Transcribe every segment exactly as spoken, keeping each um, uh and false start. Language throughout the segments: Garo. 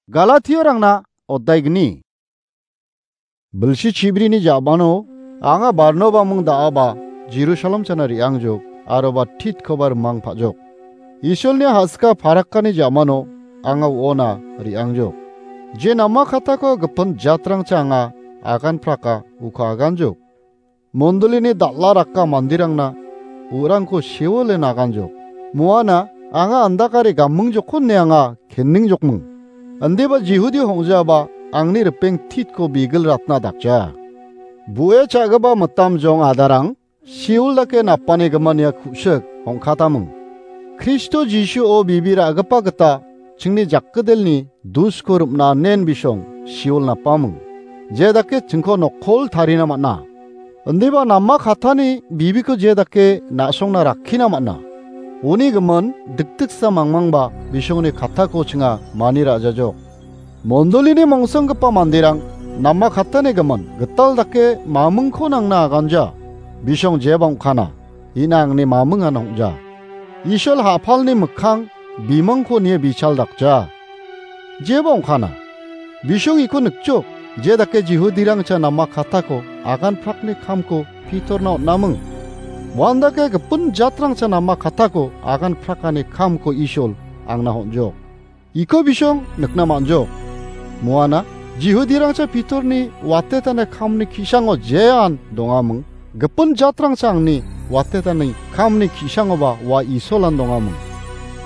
Galatiarangna oddaigni. Bilsi chibrini jabano anga Barnobaming da·aba Jerusalem chana re·angjok, aroba Titkoba rimang pa·jok. Isolni hasika parakkani jamano anga uona re·angjok. Je nama katako gipin jatrangcha anga agan praka uko aganjok. Mondolini dal·a raka mandirangna u·rangko sewole naganjok. Moana anga andakare gamingjokon ne anga kenningjokming. Indiba Jihudi hong·jaba angni ripeng Titko bigil ratna dakja. Bu·e cha·gipa mitam jong adarang, Seol dake napani gimin ia ku·sik hong·kataming. Kristo Jisuo bibi ra·gipa gita chingni jakgidelni dusko rim·na nen bisong Seol napaming. Je dake chingko nokkol tarina man·a. Indiba nama katani bibiko je dake na·songna rakkina man·a. Uni gimin dikdiksa mangmangba bisongni katako chinga mani ra·jajok. Mondolini mongsonggipa manderang nama katani gimin gital dake mamingko nangna aganja. Bisong jeba ong·kana, ina angni mamingan ong·ja. Isol ha·palni mikkang bimangko nie bichal dakja. Jeba ong·kana, bisong iko nikjok, je dake Jihudirangcha nama katako agan prakni kamko Pitorna on·aming. Uandake gipin jatrangcha nama katako agan prakani kamko Isol angna on·jok. Iko bisong nikna man·jok. Moana, Jihudirangcha Pitorni watetani kamni ki·sango jean dongaming, gipin jatrangcha angni watetani kamni ki·sangoba ua Isolan dongaming.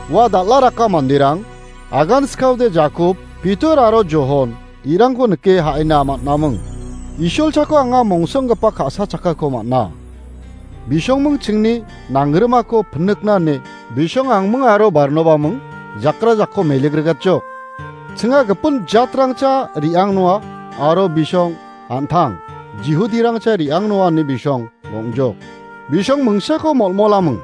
Ua dal·a raka manderang, agan skaode Jakob, Pitor aro Johon, irangko nike ha·ina man·aming. Isol chako anga mongsonggipa ka·sa chakako man·a. Bisongming chingni nangrimako pinikna ine bisong angming aro Barnobaming jakra jakko meligrigatjok. Chinga gipin jatrangcha re·angnoa aro bisong an·tang Jihudirangcha re·angnoa ine bisong ong·jok. Bisong mingsako molmolaming.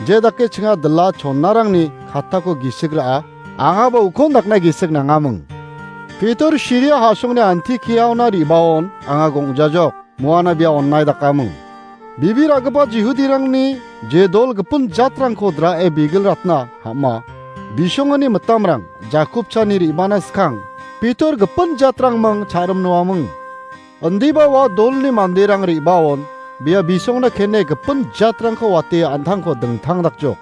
Je dake chinga dila chonnarangni katako gisik ra·a, angaba ukon dakna gisik nangaming. Pitor Siria ha·songni Antikiaona re·baon anga gong·jajok. Moana bia onnai dakaming. Bibi ra·gipa Jihudirangni je dol gipin jatrangko dra·e bigil ratna ham·a, bisongani mitamrang Jakobchani re·bana skang Pitor gipin jatrangming cha·rimnoaming. Indiba ua dolni manderang re·baon bia bisongna kene gipin jatrangko wate an·tangko dingtang dakjok.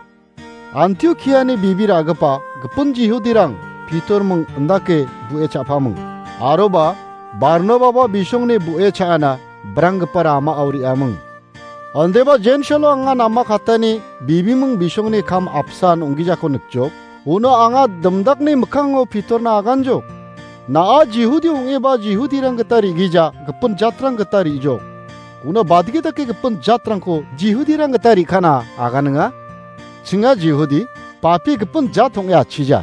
Antiokiani bibi ra·gipa gipin Jihudirang Pitorming indake bu·e cha·paming. Aroba Barnababa bisongni bu·e cha·ana branggipa ramao re·aming. Indiba Jensilo anga nama katani bibiming bisongni kam apsan ong·gijako nikjok. Uno anga dimdakni mikkango Pitorna aganjok. Na·a Jihudi ong·eba Jihudirang gita re·gija, gipin jatrang gita re·jok. Uno badgi dake gipin jatrangko Jihudirang gita re·kana aganinga? Chinga Jihudi, papi gipin jat ong·e atchija.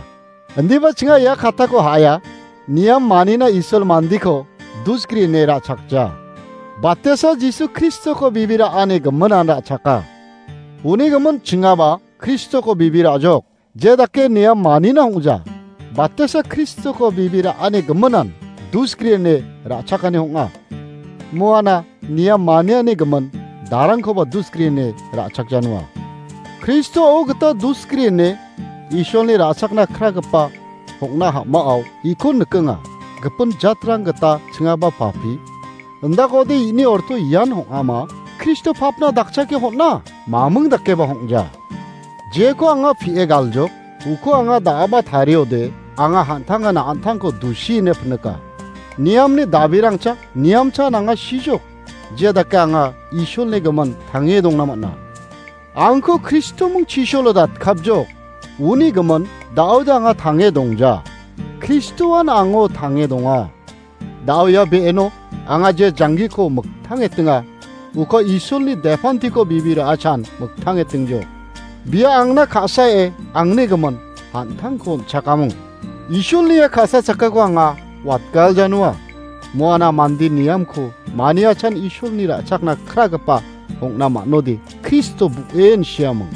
Indiba chinga ia katako ha·aia, niam manina Isol mandiko dusgri ine ra·chakja. Batesa Jisu Kristoko bibi ra·ani giminan ra·chaka. Uni gimin chingaba Kristoko bibi ra·jok. Je dake niam manina ong·ja. Batesa Kristoko bibi ra·ani giminan dusgri ine ra·chakani ong·a. Moana niam maniani gimin darangkoba dusgri ine ra·chakjanua. Kristo o gita dusgri ine Isolni ra·chakna kragipa ong·na ham·ao ikon nikenga. Gipin jatrang gita chingaba papi. Indakode ini orto ian ong·ama, Kristo papna dakchake hon·a, maming dakeba hong·ja. Jeko anga pie galjok, uko anga da·aba tariode, anga han·tangana an·tangko dusi ine pinika. Niamni dabirangcha, niamcha nanga sijok, jia dake anga Isolni gimin tange dongna man·a. Angko Kristoming chisolo datkapjok, uni gimin da·ode anga tange dongja. Kristoan ango tange donga. Da·o ia be·eno anga je janggiko miktangetinga, uko Isolni depantiko bibi ra·achan miktangetingjo. Bia angna ka·sae angni gimin han·tangko on·chakamung. Isolni ia ka·sa chakako anga watgaljanua. Moana mande niamko maniachan Isolni ra·chakna kragipa ong·na man·ode Kristo bu·en siamung.